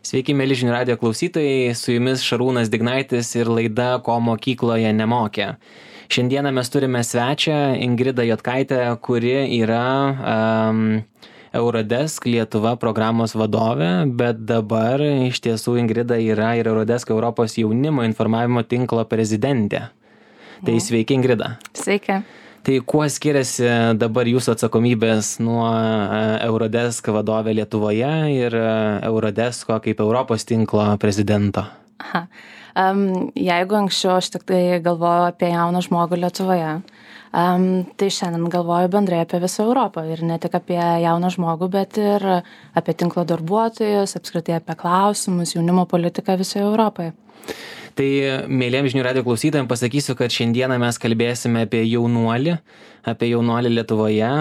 Sveiki, mėly žinių radijo klausytojai, su jumis Šarūnas Dignaitis ir laida Ko mokykloje nemokė. Šiandieną mes turime svečią Ingridą Jotkaitę, kuri yra Eurodesk Lietuva programos vadovė, bet dabar iš tiesų Ingrida yra ir Eurodesk Europos jaunimo informavimo tinklo prezidentė. Tai sveiki, Ingrida. Sveiki. Tai kuo skiriasi dabar jūsų atsakomybės nuo Eurodesk vadovė Lietuvoje ir Eurodesko kaip Europos tinklo prezidento? Jeigu anksčiau aš tik tai galvoju apie jauną žmogų Lietuvoje, tai šiandien galvoju bendrai apie visą Europą ir ne tik apie jauną žmogų, bet ir apie tinklo darbuotojus, apskritai apie klausimus, jaunimo politiką visoje Europoje. Tai mėliem žinių radijo klausytojams pasakysiu, kad šiandieną mes kalbėsime apie jaunuolį Lietuvoje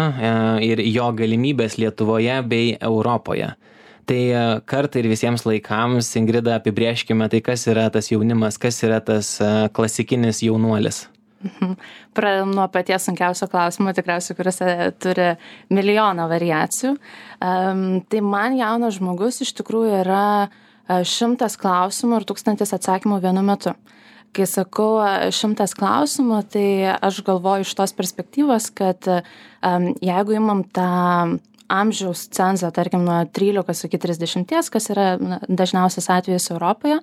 ir jo galimybės Lietuvoje bei Europoje. Tai kartą ir visiems laikams, Ingrida, apibrėžkime, tai kas yra tas jaunimas, kas yra tas klasikinis jaunuolis. Pradedam nuo paties sunkiausio klausimo, tikriausiai, kuris turi milijoną variacijų. Tai man jaunas žmogus iš tikrųjų yra 100 klausimų ir 1000 atsakymų vienu metu. Kai sakau 100 klausimų, tai aš galvoju iš tos perspektyvos, kad jeigu imam tą amžiaus cenzą, tarkim, nuo 13 iki 30, kas yra dažniausias atvejis Europoje,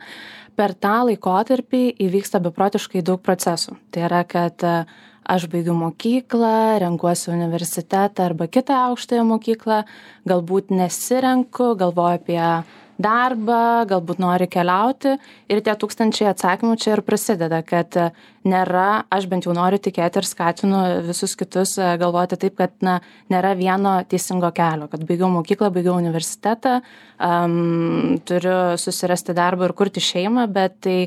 per tą laikotarpį įvyksta beprotiškai daug procesų. Tai yra, kad aš baigiu mokyklą, renkuosi universitetą arba kitą aukštąją mokyklą, galbūt nesirenku, galvoju apie darbą, galbūt nori keliauti ir tie 1000 atsakymų čia ir prasideda, kad nėra, aš bent jau noriu tikėti ir skatinu visus kitus galvoti taip, kad nėra vieno teisingo kelio, kad baigiau mokyklą, baigiau universitetą, turiu susirasti darbą ir kurti šeimą, bet tai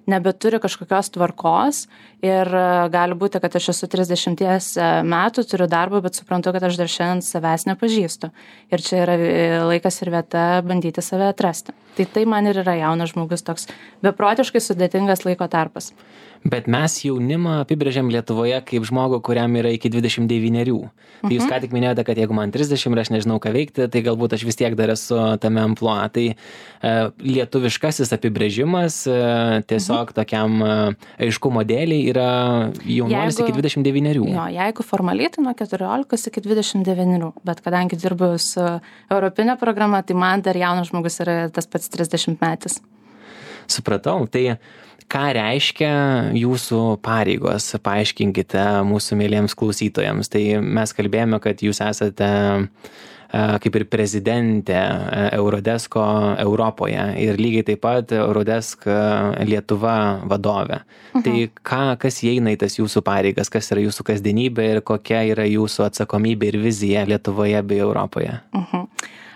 nebeturi kažkokios tvarkos ir gali būti, kad aš esu 30 metų, turiu darbą, bet suprantu, kad aš dar šiandien savęs nepažįstu. Ir čia yra laikas ir vieta bandyti save atrasti. Tai man ir yra jaunas žmogus, toks beprotiškai sudėtingas laiko tarpas. Bet mes jaunimą apibrėžiam Lietuvoje kaip žmogų, kuriam yra iki 29. Tai jūs ką tik minėjote, kad jeigu man 30 ir aš nežinau ką veikti, tai galbūt aš vis tiek dar esu tame amplua. Tai lietuviškasis apibrėžimas tiesiog tokiam aiškumo dėliai yra jaunuolis iki 29. Jo, jeigu formaliai, tai nuo 14 iki 29. Bet kadangi dirbu su europinė programa, tai man dar jaunas žmogus yra tas pats 30 metais. Supratau. Tai ką reiškia jūsų pareigos? Paaiškinkite mūsų mėliems klausytojams. Tai mes kalbėjome, kad jūs esate kaip ir prezidentė Eurodesko Europoje ir lygiai taip pat Eurodesk Lietuva vadovė. Tai kas įeina į tas jūsų pareigas, kas yra jūsų kasdienybė ir kokia yra jūsų atsakomybė ir vizija Lietuvoje bei Europoje?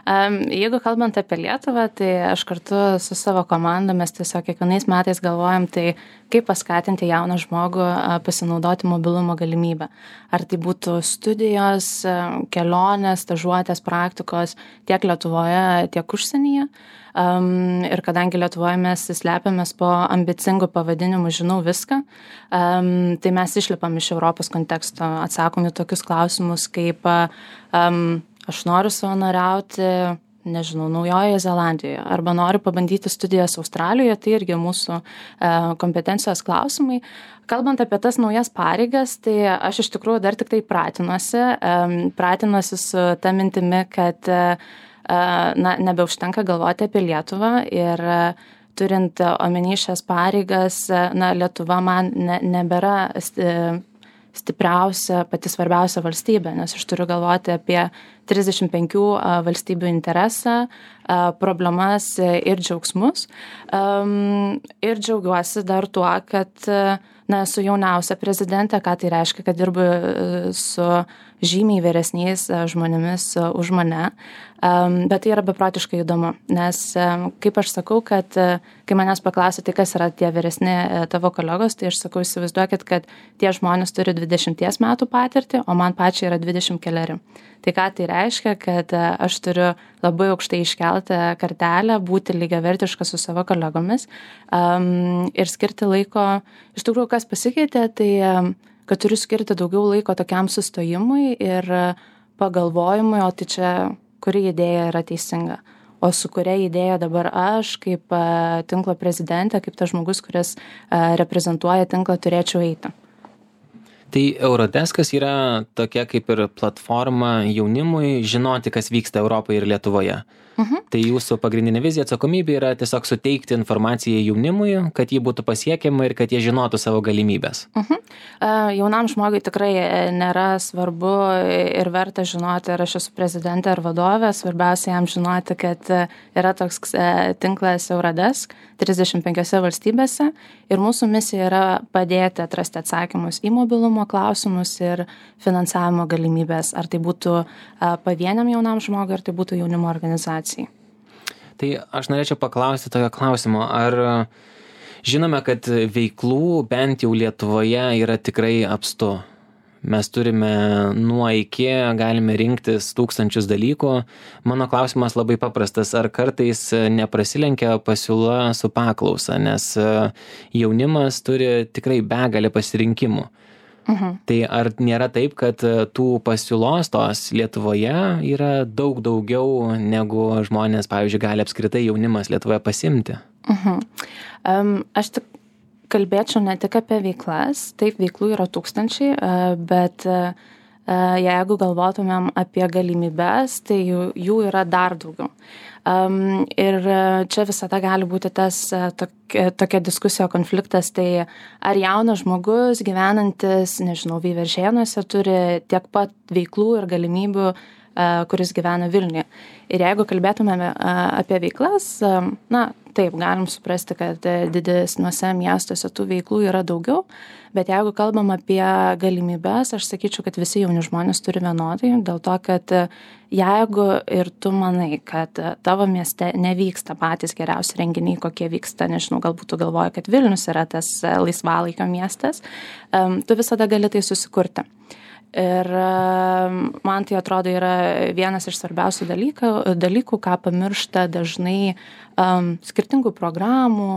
Jeigu kalbant apie Lietuvą, tai aš kartu su savo komanda mes tiesiog kiekvienais metais galvojam, tai kaip paskatinti jauną žmogų pasinaudoti mobilumo galimybę. Ar tai būtų studijos, kelionės, stažuotės, praktikos tiek Lietuvoje, tiek užsienyje. Ir kadangi Lietuvoje mes slepiamės po ambicingų pavadinimų žinau viską, tai mes išlipam iš Europos konteksto, atsakom į tokius klausimus kaip aš noriu savanoriauti, nežinau, Naujojoje Zelandijoje arba noriu pabandyti studijas Australijoje, tai irgi mūsų kompetencijos klausimai. Kalbant apie tas naujas pareigas, tai aš iš tikrųjų dar tik tai pratinuosi su ta mintimi, kad nebeužtenka galvoti apie Lietuvą ir turint omeny šias pareigas, Lietuva man nebėra stipriausia, pati svarbiausia valstybė, nes aš turiu galvoti apie 35 valstybių interesą, problemas ir džiaugsmus. Ir džiaugiuosi dar tuo, kad esu jauniausia prezidentė, ką tai reiškia, kad dirbu su žymiai vyresniais žmonėmis už mane. Bet tai yra beprotiškai įdomu, nes kaip aš sakau, kad kai manęs paklausia, tai kas yra tie vyresni tavo kolegos, tai aš sakau, įsivaizduokit, kad tie žmonės turi 20 metų patirtį, o man pačiai yra 20 keleri. Tai ką tai reiškia, kad aš turiu labai aukštai iškeltą kartelę, būti lygiavertiška su savo kolegomis ir skirti laiko. Iš tikrųjų, kas pasikeitė, tai kad turiu skirti daugiau laiko tokiam sustojimui ir pagalvojimui, o tai čia kuri idėja yra teisinga. o su kuria idėja dabar aš kaip tinklo prezidentė, kaip tas žmogus, kuris reprezentuoja tinklą, turėčiau eiti. Tai Eurodeskas yra tokia kaip ir platforma jaunimui žinoti, kas vyksta Europoje ir Lietuvoje. Tai jūsų pagrindinė vizija, atsakomybė yra tiesiog suteikti informaciją jaunimui, kad ji būtų pasiekiama ir kad jie žinotų savo galimybės. Jaunam žmogui tikrai nėra svarbu ir verta žinoti, ar aš esu prezidentė ar vadovė. Svarbiausia jam žinoti, kad yra toks tinklas Eurodesk 35 valstybėse ir mūsų misija yra padėti atrasti atsakymus į mobilumo klausimus ir finansavimo galimybės. Ar tai būtų pavieniam jaunam žmogui, ar tai būtų jaunimo organizacijai. Tai aš norėčiau paklausti tokio klausimo, ar žinome, kad veiklų bent jau Lietuvoje yra tikrai apstu. Mes turime nuo iki, galime rinktis tūkstančius dalykų. Mano klausimas labai paprastas, ar kartais neprasilenkia pasiūla su paklausa, nes jaunimas turi tikrai begalę pasirinkimų. Tai ar nėra taip, kad tų pasiūlos tos Lietuvoje yra daug daugiau, negu žmonės, pavyzdžiui, gali apskritai jaunimas Lietuvoje pasimti? Aš tik kalbėčiau ne tik apie veiklas, taip veiklų yra tūkstančiai, bet jeigu galvotumėm apie galimybės, tai jų yra dar daugiau. Ir čia visada gali būti tas tokia diskusija, konfliktas, tai ar jaunas žmogus gyvenantis, nežinau, Veiveržėnuose turi tiek pat veiklų ir galimybių, kuris gyvena Vilniuje. Ir jeigu kalbėtumėme apie veiklas, taip, galim suprasti, kad didesniuose miestuose tų veiklų yra daugiau, bet jeigu kalbam apie galimybės, aš sakyčiau, kad visi jauni žmonės turi vienodai, dėl to, kad jeigu ir tu manai, kad tavo mieste nevyksta patys geriausi renginiai, kokie vyksta, nežinau, galbūt tu galvoji, kad Vilnius yra tas laisvalaikio miestas, tu visada gali tai susikurti. Ir man tai atrodo yra vienas iš svarbiausių dalykų, ką pamiršta dažnai skirtingų programų,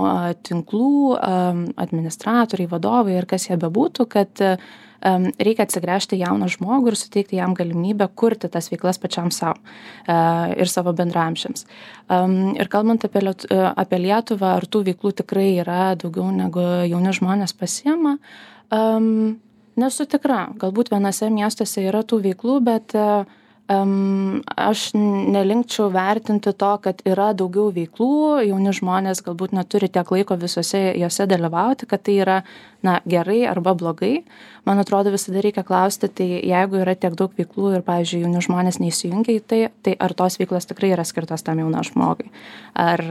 tinklų, administratoriai, vadovai ir kas jie bebūtų, kad reikia atsigręžti jauną žmogų ir suteikti jam galimybę kurti tas veiklas pačiam savo ir savo bendramžiams. Ir kalbant apie Lietuvą, ar tų veiklų tikrai yra daugiau negu jauni žmonės pasiema, nesu tikra, galbūt vienose miestuose yra tų veiklų, bet aš nelinkčiau vertinti to, kad yra daugiau veiklų, jauni žmonės galbūt neturi tiek laiko visose jose dalyvauti, kad tai yra gerai arba blogai. Man atrodo, visada reikia klausti, tai jeigu yra tiek daug veiklų ir, pavyzdžiui, jauni žmonės neįsijungia į tai ar tos veiklos tikrai yra skirtos tam jaunam žmogui. Ar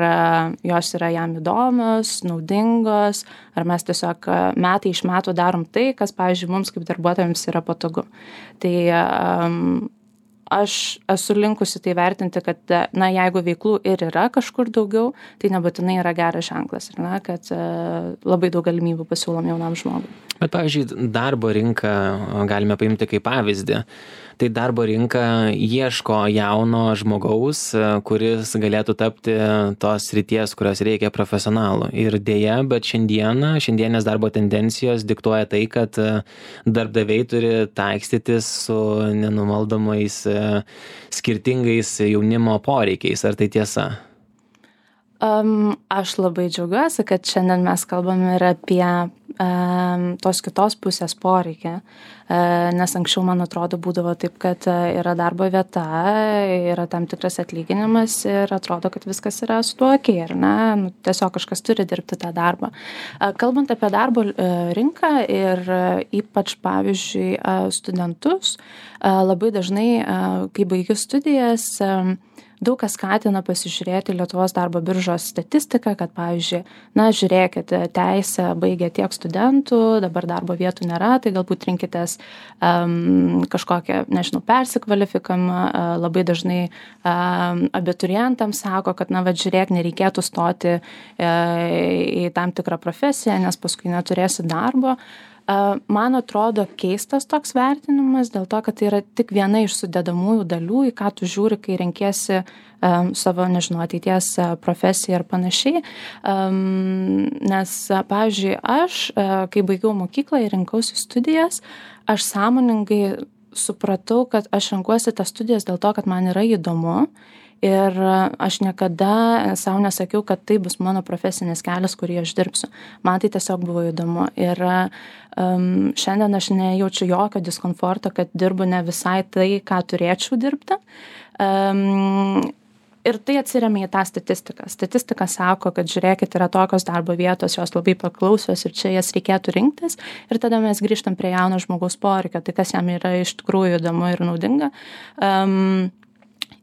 jos yra jam įdomios, naudingos, ar mes tiesiog metai iš metų darom tai, kas, pavyzdžiui, mums kaip darbuotojams yra patogu. Tai aš esu linkusi tai vertinti, kad jeigu veiklų ir yra kažkur daugiau, tai nebūtinai yra geras ženklas, kad labai daug galimybių pasiūlom jaunam žmogui. Bet, pavyzdžiui, darbo rinką galime paimti kaip pavyzdį. Tai darbo rinka ieško jauno žmogaus, kuris galėtų tapti tos srities, kurios reikia profesionalų. Ir dėja, bet šiandienės darbo tendencijos diktuoja tai, kad darbdaviai turi taikstytis su nenumaldomais skirtingais jaunimo poreikiais. Ar tai tiesa? Aš labai džiaugiuosi, kad šiandien mes kalbame ir apie tos kitos pusės poreikį, nes anksčiau, man atrodo, būdavo taip, kad yra darbo vieta, yra tam tikras atlyginimas ir atrodo, kad viskas yra su tuo okei, ar ne? Tiesiog kažkas turi dirbti tą darbą. Kalbant apie darbo rinką ir ypač, pavyzdžiui, studentus, labai dažnai, kai baigiu studijas, daug kas skatina pasižiūrėti Lietuvos darbo biržos statistiką, kad, pavyzdžiui, žiūrėkit, teisę baigia tiek studentų, dabar darbo vietų nėra, tai galbūt rinkitės kažkokią, persikvalifikamą. Labai dažnai abiturientams sako, kad, žiūrėk, nereikėtų stoti į tam tikrą profesiją, nes paskui neturėsi darbo. Man atrodo keistas toks vertinimas dėl to, kad tai yra tik viena iš sudedamųjų dalių, į ką tu žiūri, kai renkiesi savo, ateities profesiją ir panašiai. Nes, pavyzdžiui, aš, kai baigiau mokyklą ir rinkausi studijas, aš sąmoningai supratau, kad aš renkuosi tas studijas dėl to, kad man yra įdomu Ir aš niekada savo nesakiau, kad tai bus mano profesinis kelias, kurį aš dirbsiu. Man tai tiesiog buvo įdomu. Ir šiandien aš nejaučiu jokio diskomforto, kad dirbu ne visai tai, ką turėčiau dirbti. Ir tai atsiremia į tą statistiką. Statistika sako, kad žiūrėkit, yra tokios darbo vietos, jos labai paklausios ir čia jas reikėtų rinktis. Ir tada mes grįžtam prie jauno žmogaus poreikio, tai kas jam yra iš tikrųjų įdomu ir naudinga.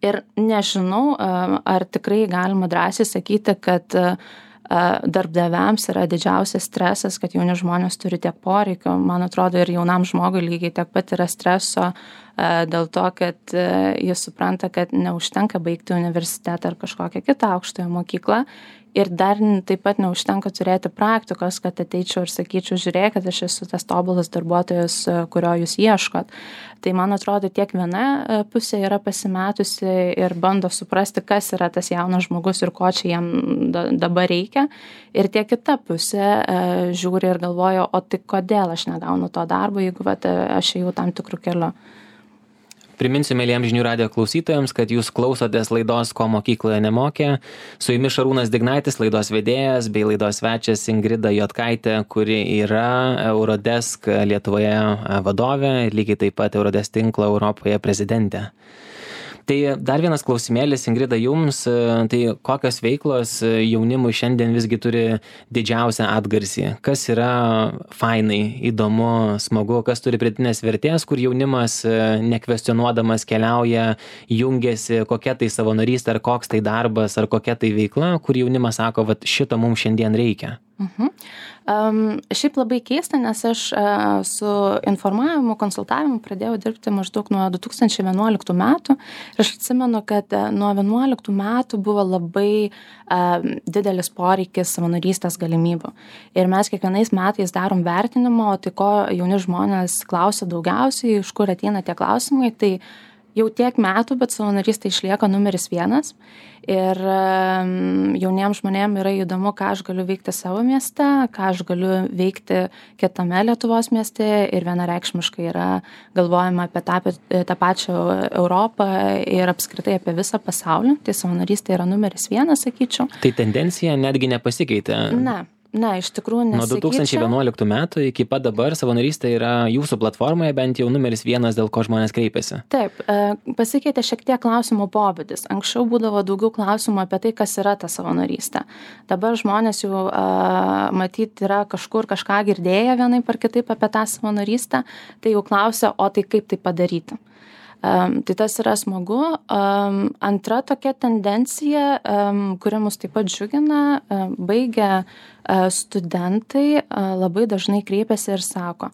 Ir nežinau, ar tikrai galima drąsiai sakyti, kad darbdaviams yra didžiausias stresas, kad jauni žmonės turi tiek poreikio. Man atrodo, ir jaunam žmogui lygiai tiek pat yra streso dėl to, kad jis supranta, kad neužtenka baigti universitetą ar kažkokią kitą aukštąją mokyklą. Ir dar taip pat neužtenka turėti praktikos, kad ateičiau ir sakyčiau, žiūrėkit, aš esu tas tobulas darbuotojas, kurio jūs ieškot. Tai man atrodo, tiek viena pusė yra pasimetusi ir bando suprasti, kas yra tas jaunas žmogus ir ko čia jam dabar reikia. Ir tiek kita pusė žiūri ir galvoja, o tai kodėl aš negaunu to darbo, jeigu aš ėjau tam tikrų kelių. Priminsiu mėlyjams žinių radijo klausytojams, kad jūs klausotės laidos Ko mokykloje nemokė. Su jumis Šarūnas Dignaitis, laidos vedėjas, bei laidos svečias Ingrida Juodkaitė, kuri yra Eurodesk Lietuvoje vadovė ir lygiai taip pat Eurodesk tinklo Europoje prezidentė. Tai dar vienas klausimėlis, Ingrida, jums, tai kokios veiklos jaunimui šiandien visgi turi didžiausią atgarsį? Kas yra fainai, įdomu, smagu, kas turi pridėtinės vertės, kur jaunimas nekvestionuodamas keliauja, jungiasi, kokia tai savanorystė, ar koks tai darbas, ar kokia tai veikla, kur jaunimas sako, vat šito mums šiandien reikia? Šiaip labai keista, nes aš su informavimu, konsultavimu pradėjau dirbti maždaug nuo 2011 metų. Ir aš atsimenu, kad nuo 2011 metų buvo labai didelis poreikis savanorystės galimybių. Ir mes kiekvienais metais darom vertinimo, tai ko jauni žmonės klausia daugiausiai, iš kur ateina tie klausimai, tai jau tiek metų, bet savanorystė išlieka numeris 1. Ir jauniems žmonėms yra įdomu, ką aš galiu veikti savo mieste, ką aš galiu veikti kitame Lietuvos mieste. Ir vienareikšmiškai yra galvojama apie tą pačią Europą ir apskritai apie visą pasaulį. Tai savanorystė yra numeris 1, sakyčiau. Tai tendencija netgi nepasikeitė? Ne, iš tikrųjų nesikeičia. Nuo 2011 metų iki pat dabar savanorystė yra jūsų platformoje bent jau numeris 1, dėl ko žmonės kreipiasi. Taip, pasikeitė šiek tiek klausimų pobūdis. Anksčiau būdavo daugiau klausimų apie tai, kas yra ta savanorystė. Dabar žmonės jau matyt yra kažkur kažką girdėję vienaip ar kitaip apie tą savanorystę, tai jau klausia, o tai kaip tai padaryti. Tai tas yra smagu. Antra tokia tendencija, kuri mus taip pat džiugina, baigę studentai labai dažnai kreipiasi ir sako,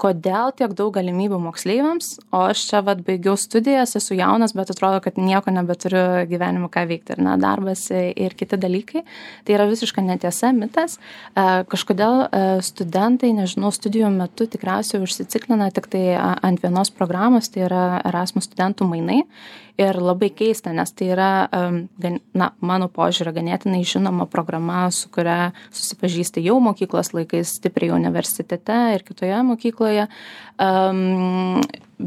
kodėl tiek daug galimybių moksleiviams, o aš čia baigiau studijas, esu jaunas, bet atrodo, kad nieko nebeturiu gyvenimo ką veikti, ir darbas ir kiti dalykai. Tai yra visiška netiesa, mitas. Kažkodėl studentai, nežinau, studijų metu tikriausiai užsiciklina tik tai ant vienos programos, tai yra Erasmus studentų mainai. Ir labai keista, nes tai yra, mano požiūrė, ganėtinai žinoma programa, su kuria susipažįsti jau mokyklos laikais, stipriai universitete ir kitoje mokykloje.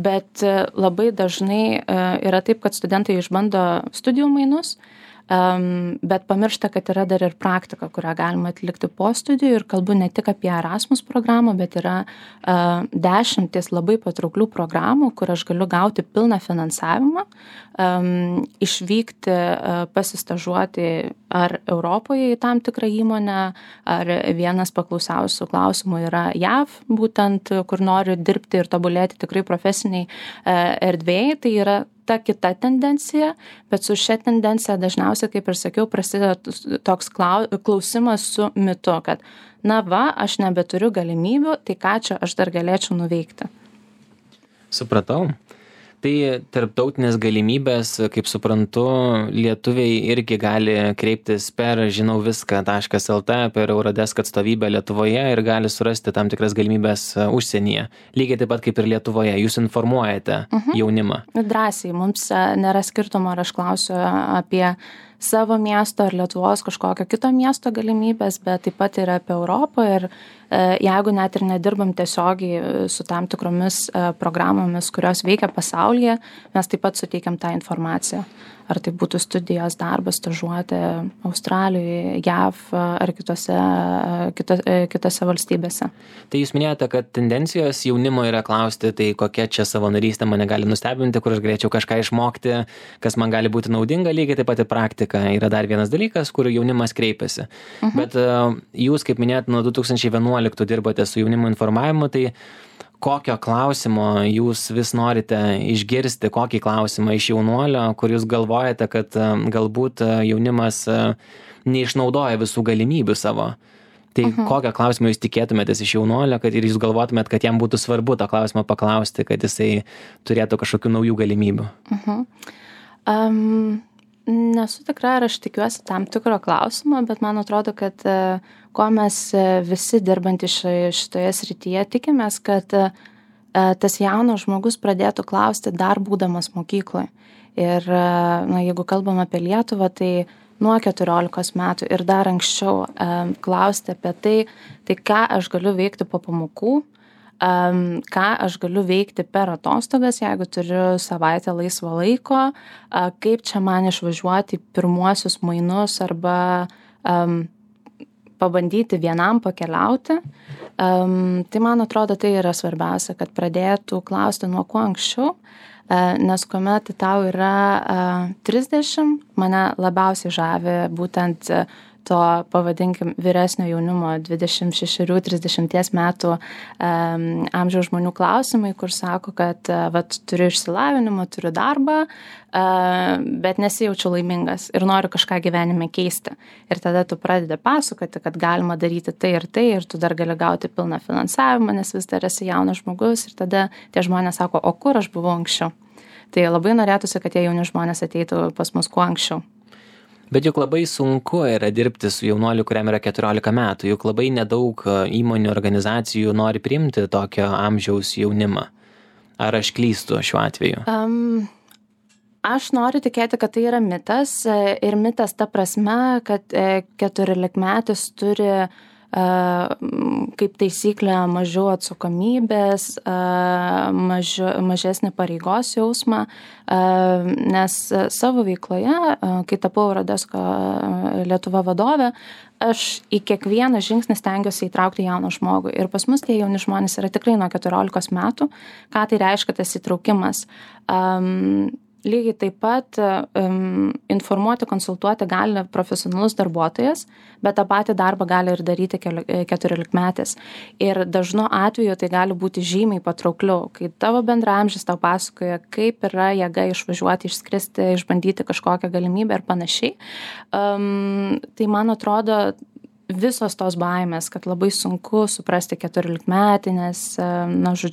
Bet labai dažnai yra taip, kad studentai išbando studijų mainus, bet pamiršta, kad yra dar ir praktika, kurią galima atlikti po studijų, ir kalbu ne tik apie Erasmus programą, bet yra 10 labai patrauklių programų, kur aš galiu gauti pilną finansavimą, išvykti, pasistažuoti ar Europoje į tam tikrą įmonę, ar vienas paklausiausių klausimų yra JAV, būtent kur noriu dirbti ir tobulėti tikrai profesiniai erdvėjai, tai yra ta kita tendencija, bet su šia tendencija dažniausiai, kaip ir sakiau, prasideda toks klausimas su mitu, kad aš nebeturiu galimybių, tai ką čia aš dar galėčiau nuveikti. Supratau. Tai tarptautinės galimybės, kaip suprantu, lietuviai irgi gali kreiptis per žinauviską.lt, per Eurodesk atstovybę Lietuvoje ir gali surasti tam tikras galimybės užsienyje. Lygiai taip pat kaip ir Lietuvoje. Jūs informuojate jaunimą. Drąsiai, mums nėra skirtumo, ar aš klausiu apie savo miesto ar Lietuvos kažkokio kito miesto galimybės, bet taip pat ir apie Europą ir jeigu net ir nedirbam tiesiogiai su tam tikromis programomis, kurios veikia pasaulyje, mes taip pat suteikiam tą informaciją. Ar tai būtų studijos, darbas, stažuotė Australijoje, JAV ar kitose valstybėse. Tai jūs minėjote, kad tendencijos jaunimo yra klausti, tai kokia čia savanorystė mane gali nustebinti, kur aš galėčiau kažką išmokti, kas man gali būti naudinga, lygiai taip pat ir praktika. Yra dar vienas dalykas, kur jaunimas kreipiasi. Bet jūs, kaip minėjot, nuo 2011 dirbote su jaunimo informavimu, tai kokio klausimo jūs vis norite išgirsti, kokį klausimą iš jaunuolio, kur jūs galvojate, kad galbūt jaunimas neišnaudoja visų galimybių savo. Tai kokio klausimo jūs tikėtumėtės iš jaunuolio, kad ir jūs galvotumėt, kad jam būtų svarbu tą klausimą paklausti, kad jisai turėtų kažkokių naujų galimybių? Nesu tikra, ar aš tikiuosi tam tikro klausimo, bet man atrodo, kad ko mes visi dirbantys šitoje srityje tikimės, kad tas jaunas žmogus pradėtų klausti dar būdamas mokykloje. Ir jeigu kalbam apie Lietuvą, tai nuo 14 metų ir dar anksčiau klausti apie tai ką aš galiu veikti po pamokų, ką aš galiu veikti per atostogas, jeigu turiu savaitę laisvo laiko, kaip čia man išvažiuoti pirmuosius mainus arba pabandyti vienam pakeliauti. Tai man atrodo, tai yra svarbiausia, kad pradėtų klausti nuo kuo anksčiau, nes kuomet tau yra 30, mane labiausiai žavi būtent to, pavadinkim, vyresnio jaunimo 26-30 metų amžiaus žmonių klausimai, kur sako, kad turiu išsilavinimą, turiu darbą, bet nesijaučiu laimingas ir noriu kažką gyvenime keisti. Ir tada tu pradedi pasakoti, kad galima daryti tai, ir tu dar gali gauti pilną finansavimą, nes vis dar esi jaunas žmogus ir tada tie žmonės sako, o kur aš buvau anksčiau. Tai labai norėtųsi, kad tie jauni žmonės ateitų pas mus kuo anksčiau. Bet juk labai sunku yra dirbti su jaunuoliu, kuriam yra 14 metų. Juk labai nedaug įmonių, organizacijų nori priimti tokio amžiaus jaunimą. Ar aš klystu šiuo atveju? Aš noriu tikėti, kad tai yra mitas. Ir mitas ta prasme, kad 14-metis turi kaip taisyklė mažiau atsakomybės, mažesnį pareigos jausmą, nes savo veikloje, kai tapau Eurodesko Lietuva vadovė, aš į kiekvieną žingsnį stengiuosi įtraukti jauną žmogų. Ir pas mus tie jauni žmonės yra tikrai nuo 14 metų. Ką tai reiškia tas įtraukimas? Lygiai taip pat informuoti, konsultuoti gali profesionalus darbuotojas, bet tą patį darbą gali ir daryti 14-metis. Ir dažnu atveju tai gali būti žymiai patraukliau, kai tavo bendraamžis tau pasakoja, kaip yra jėga išvažiuoti, išskristi, išbandyti kažkokią galimybę ir panašiai. Tai man atrodo, visos tos baimės, kad labai sunku suprasti 14-metį, nes,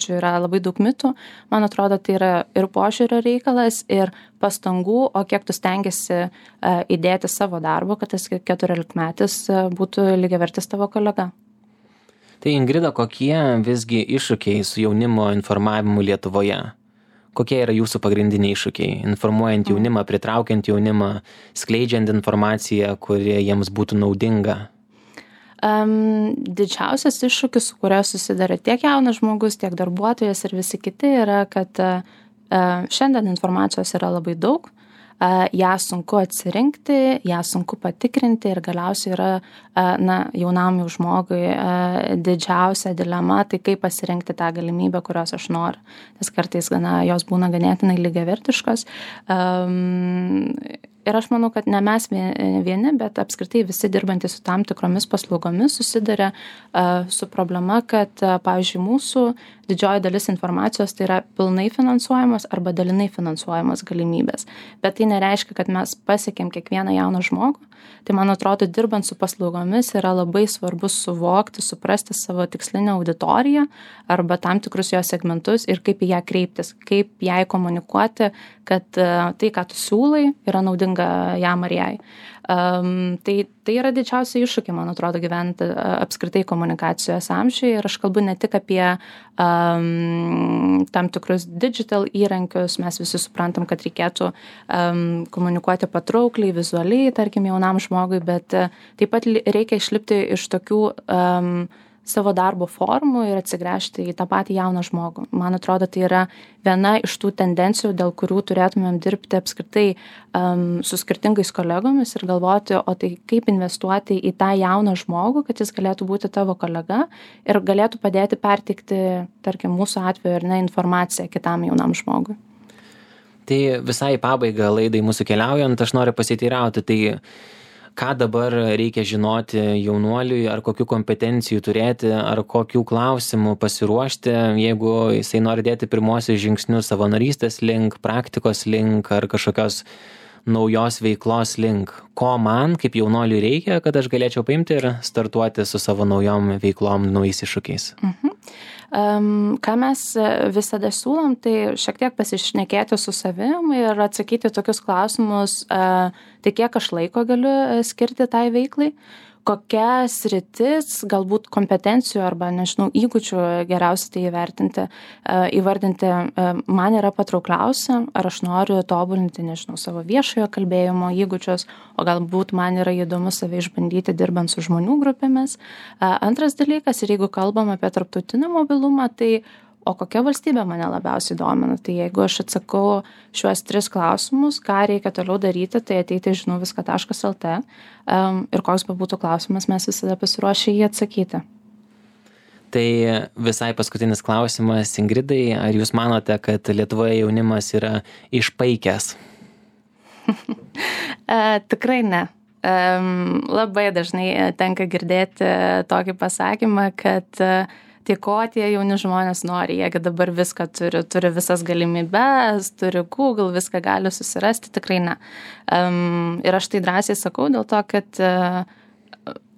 yra labai daug mitų, man atrodo, tai yra ir požiūrio reikalas, ir pastangų, o kiek tu stengiasi įdėti savo darbo, kad tas 14-metis būtų lygiavertis tavo kolega. Tai Ingrida, kokie visgi iššūkiai su jaunimo informavimu Lietuvoje? Kokie yra jūsų pagrindiniai iššūkiai? Informuojant jaunimą, pritraukiant jaunimą, skleidžiant informaciją, kuri jiems būtų naudinga? Didžiausias iššūkis, su kurio susiduria tiek jaunas žmogus, tiek darbuotojas ir visi kiti, yra, kad šiandien informacijos yra labai daug, ją sunku atsirinkti, ją sunku patikrinti ir galiausiai yra jaunam žmogui didžiausia dilema, tai kaip pasirinkti tą galimybę, kurios aš noriu. Nes kartais jos būna ganėtinai lygiavertiškos. Ir aš manau, kad ne mes vieni, bet apskritai visi dirbantys su tam tikromis paslaugomis susiduria su problema, kad, pavyzdžiui, mūsų didžioji dalis informacijos tai yra pilnai finansuojamos arba dalinai finansuojamos galimybės. Bet tai nereiškia, kad mes pasiekėm kiekvieną jauną žmogų. Tai, man atrodo, dirbant su paslaugomis yra labai svarbu suvokti, suprasti savo tikslinę auditoriją arba tam tikrus jos segmentus ir kaip į ją kreiptis, kaip jai komunikuoti, kad tai, ką tu siūlai, yra naudinga jam ar jai. Tai yra didžiausia iššūkiai, man atrodo, gyventi apskritai komunikacijos amžiuje ir aš kalbu ne tik apie tam tikrus digital įrankius, mes visi suprantam, kad reikėtų komunikuoti patraukliai, vizualiai, tarkim, jaunam žmogui, bet taip pat reikia išlipti iš tokių savo darbo formų ir atsigręžti į tą patį jauną žmogų. Man atrodo, tai yra viena iš tų tendencijų, dėl kurių turėtumėm dirbti apskritai su skirtingais kolegomis ir galvoti, o tai kaip investuoti į tą jauną žmogų, kad jis galėtų būti tavo kolega ir galėtų padėti perteikti, tarkim, mūsų atveju ar ne, informaciją kitam jaunam žmogui. Tai visai pabaiga laidai mūsų keliaujant, aš noriu pasiteirauti, tai ką dabar reikia žinoti jaunuoliui, ar kokių kompetencijų turėti, ar kokių klausimų pasiruošti, jeigu jisai nori dėti pirmosius žingsnius savanorystės link, praktikos link ar kažkokios naujos veiklos link. Ko man kaip jaunuoliui reikia, kad aš galėčiau paimti ir startuoti su savo naujom veiklom, naujais iššūkiais? Ką mes visada siūlom, tai šiek tiek pasišnekėti su savim ir atsakyti tokius klausimus, tai kiek aš laiko galiu skirti tai veiklai, kokia sritis, galbūt kompetencijų arba, nežinau, įgūdžių geriausiai tai įvardinti man yra patraukliausia, ar aš noriu tobulinti, nežinau, savo viešojo kalbėjimo įgūdžius, o galbūt man yra įdomu save išbandyti dirbant su žmonių grupėmis. Antras dalykas, ir jeigu kalbam apie tarptautinį mobilumą, tai o kokia valstybė mane labiausiai domina? Tai jeigu aš atsakau šiuos 3 klausimus, ką reikia toliau daryti, tai ateiti žinauviską.lt ir koks bebūtų klausimas, mes visada pasiruošę jį atsakyti. Tai visai paskutinis klausimas, Ingridai, ar jūs manote, kad Lietuvoje jaunimas yra išpaikęs? Tikrai ne. Labai dažnai tenka girdėti tokį pasakymą, kad tai ko tie jauni žmonės nori, jeigu dabar viską turi visas galimybes, turi Google, viską gali susirasti, tikrai ne. Ir aš tai drąsiai sakau dėl to, kad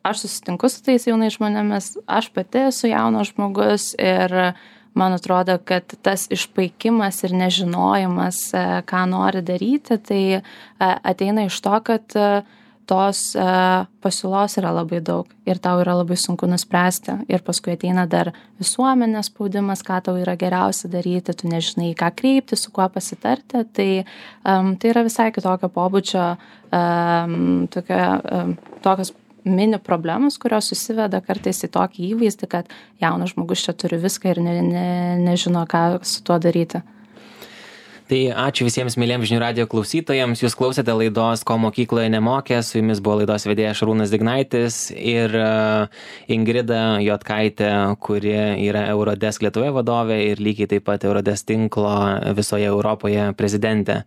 aš susitinku su tais jaunais žmonėmis, aš pati esu jaunas žmogus ir man atrodo, kad tas išpaikimas ir nežinojimas, ką nori daryti, tai ateina iš to, kad tos pasiūlos yra labai daug ir tau yra labai sunku nuspręsti ir paskui ateina dar visuomenės spaudimas, ką tau yra geriausia daryti, tu nežinai, ką kreipti, su kuo pasitarti, tai yra visai kitokio pobūdžio tokios mini problemos, kurios susiveda kartais į tokį įvaizdį, kad jaunas žmogus čia turi viską ir nežino, ką su tuo daryti. Tai ačiū visiems mėlyms žinių radijo klausytojams. Jūs klausėte laidos Ko mokykloje nemokė. Su jumis buvo laidos vedėjas Šarūnas Dignaitis ir Ingrida Jotkaitė, kuri yra Eurodesk Lietuvoje vadovė ir lygiai taip pat Eurodesk tinklo visoje Europoje prezidentė.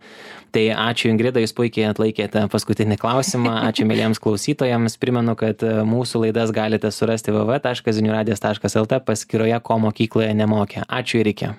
Tai ačiū Ingrida, jūs puikiai atlaikėte paskutinį klausimą. Ačiū mėlyms klausytojams. Primenu, kad mūsų laidas galite surasti www.ziniuradijas.lt paskyroje Ko mokykloje nemokė. Ačiū ir iki.